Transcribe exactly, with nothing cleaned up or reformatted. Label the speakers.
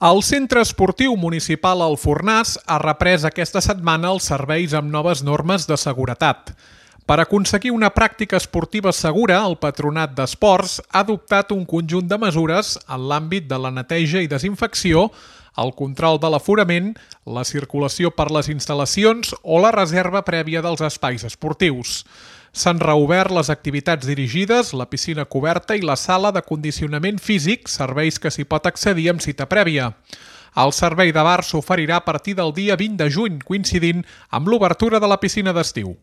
Speaker 1: El Centre Esportiu Municipal El Fornàs ha reprès aquesta setmana els serveis amb noves normes de seguretat. Per aconseguir una pràctica esportiva segura, el Patronat d'Esports ha adoptat un conjunt de mesures en l'àmbit de la neteja i desinfecció, el control de l'aforament, la circulació per les instal·lacions o la reserva prèvia dels espais esportius. S'han reobert les activitats dirigides, la piscina coberta i la sala de condicionament físic, serveis que s'hi pot accedir amb cita prèvia. El servei de bar s'oferirà a partir del dia vint de juny, coincidint amb l'obertura de la piscina d'estiu.